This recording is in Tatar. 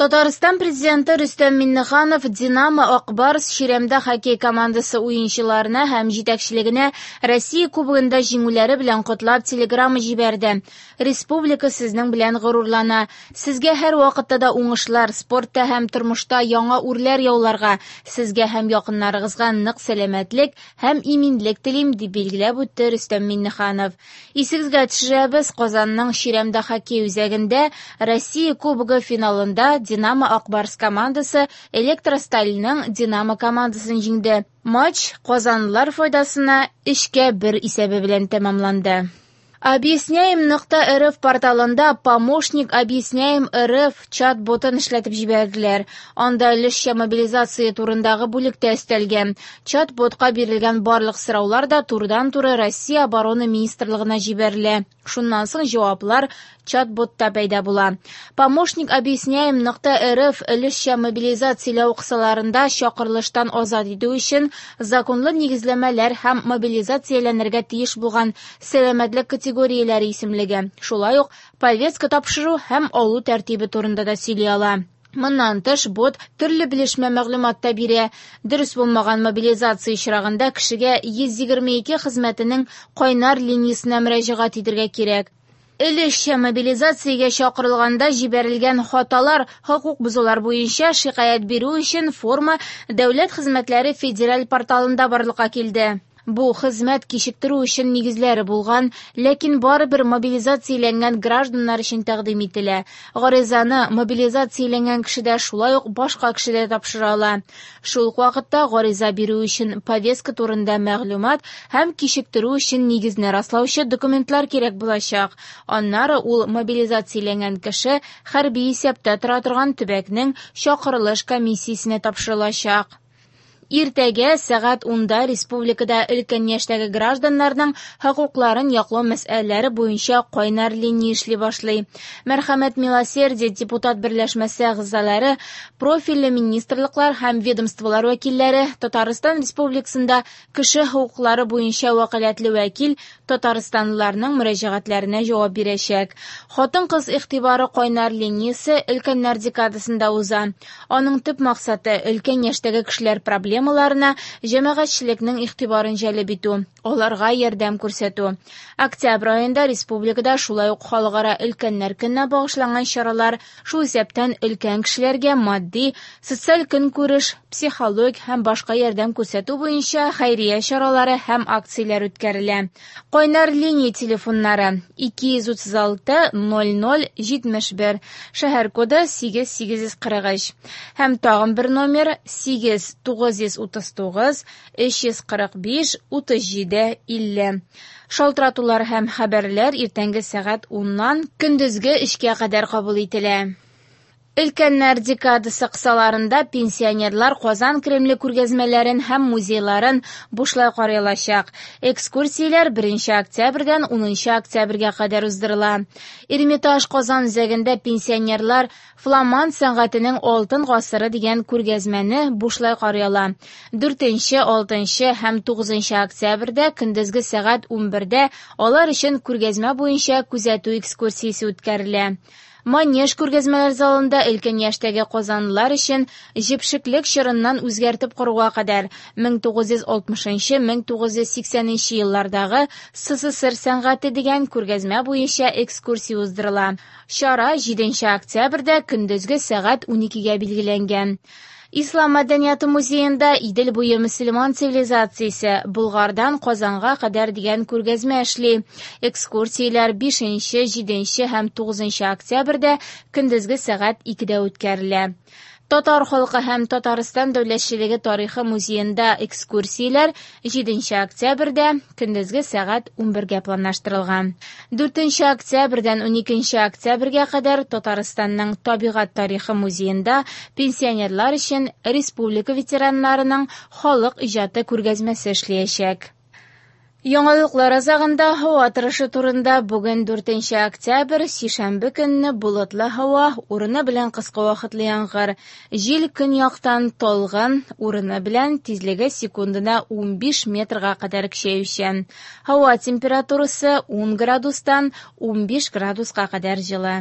Татарстан Президенты Рөстәм Миңнеханов «Динамо» - «Ак Барс» чирәмдә хоккей командасы уенчыларына һәм җитәкчелегенә Россия Кубогында җиңүләре белән котлап телеграмма җибәрде. Республика сезнең белән горурлана. Сезгә һәрвакытта да уңышлар, спортта һәм тормышта яңа үрләр яуларга, сезгә һәм якыннарыгызга нык сәламәтлек һәм иминлек телим, дип билгеләп үтте Рөстәм Миңнеханов. Исегезгә төшерәбез, Казанның чирәмдә хоккей үзәгендә Россия Кубогы финалында «Динамо» - «Ак Барс» командасы «Электросталь»ның «Динамо» командасын җиңде. Матч казанлылар файдасына 3-1 исәбе белән тәмамланды. Объясняем.рф порталында «Помощник Объясняем РФ» чат-ботын эшләтеп җибәрделәр. Анда өлешчә мобилизация турындагы бүлек тә өстәлгән. Чат-ботка бирелгән барлык сораулар да турыдан-туры Россия Оборона министрлыгына җибәрелә. Шуннан соң җаваплар чат-ботта пәйда була. Помощник Объясняем.рф өлешчә мобилизацияләү кысаларында чакырылыштан азат итү өчен законлы нигезләмәләр һәм мобилизацияләнергә тиеш булган сәламәтлек категорияләре исемлеге, шулай ук повестка тапшыру һәм алу тәртибе турында да сөйли ала. Моннан тыш, бот төрле белешмә мәгълүмат та бирә. Дөрес булмаган мобилизация очрагында кешегә 122 хезмәтенең кайнар линиясенә мөрәҗәгать итәргә кирәк. Өлешчә мобилизациягә чакырылганда җибәрелгән хаталар, хокук бозулар буенча шикаять бирү өчен форма Дәүләт хезмәтләре федераль порталында барлыкка килде. Бу хезмәт кичектерү өчен нигезләре булган, ләкин барыбер мобилизацияләнгән гражданнар өчен тәкъдим ителә. Гаризаны мобилизацияләнгән кеше дә, шулай ук башка кеше дә тапшыра ала. Шул ук вакытта гариза бирү өчен повестка турында мәгълүмат һәм кичектерү өчен нигезне раслаучы документлар кирәк булачак. Аннары ул мобилизацияләнгән кеше хәрби исәптә тора торган төбәкнең чакырылыш комиссиясенә тапшырылачак. Иртәгә сәгать 10да республикада өлкән яшьтәге гражданнарның хокукларын яклау мәсьәләләре буенча кайнар линия эшли башлый. Мәрхәмәт Милосердие депутат берләшмәсе әгъзалары, профильле министрлыклар һәм ведомстволар вәкилләре, Татарстан Республикасында кеше хокуклары буенча вәкаләтле вәкил татарстанлыларның мөрәҗәгатьләренә җавап бирәчәк. Хатын-кыз игътибары кайнар линиясе өлкәннәр декадасында уза. Аның төп максаты өлкән яшьтәге кешеләр проблемаларына җәмәгатьчелекнең игътибарын җәлеп итү, аларга ярдәм күрсәтү. Октябрь аенда республикада шулай ук Халыкара өлкәннәр көненә багышланган чаралар, шул исәптән өлкән кешеләргә матди, социаль көнкүреш, психологик һәм башка ярдәм күрсәтү буенча хәйрия чаралары һәм акцияләр үткәрелә. Кайнар линия телефоннары 236 00 71, шәһәр коды 8843 һәм тагын бер номер 8 939 345 37 50. Шалтыратулар һәм хәбәрләр иртәнге сәгать 10-нан көндезге 3-кә кадәр кабул ителә. Өлкәннәр декадасы кысаларында пенсионерлар Казан Кремле күргәзмәләрен һәм музейларын бушлай карый алачак. Экскурсияләр 1 октябрьдән 10 октябрьгә кадәр уздырыла. Эрмитаж Казан үзәгендә пенсионерлар Фламанд сәнгатенең алтын гасыры дигән күргәзмәне бушлай карый ала. 4, 6 һәм 9 октябрьдә көндезге сәгать 11дә алар өчен күргәзмә буенча күзәтү экскурсиясе үткәрелә. Манеж күргәзмәләр залында өлкән яшьтәге казанлылар өчен җепшеклек чорыннан үзгәртеп коруга кадәр 1960-1980 еллардагы СССР сәнгате дигән күргәзмә буенча экскурсия уздырыла. Чара 7 октябрьдә көндезге сәгать 12гә билгеләнгән. Ислам мәдәнияте музеенда Идел буе мөселман цивилизациясе Болгардан Казанга кадәр дигән күргәзмә эшли. Экскурсияләр 5, 7 һәм 9 октябрьдә көндезге сәгать 2дә үткәрелә. Татар халкы һәм Татарстан дәүләтчелеге тарихы музеенда экскурсияләр 7 октябрьдә көндезге сәгать 11гә планлаштырылган. 4 октябрьдән 12 октябрьгә кадәр Татарстанның табигать тарихы музеенда пенсионерлар өчен республика ветераннарының халык иҗаты күргәзмәсе эшләячәк. Яңалыклар азагында һава торышы турында бүген 4 октябрь, сишәмбе көнне болытлы һава, урыны белән кыска вакытлы яңгыр. Җил көньяктан талгын, урыны белән тизлеге секундына 15 метрга кадәр көчәючән. Һава температурасы 10 градустан 15 градуска кадәр җылы.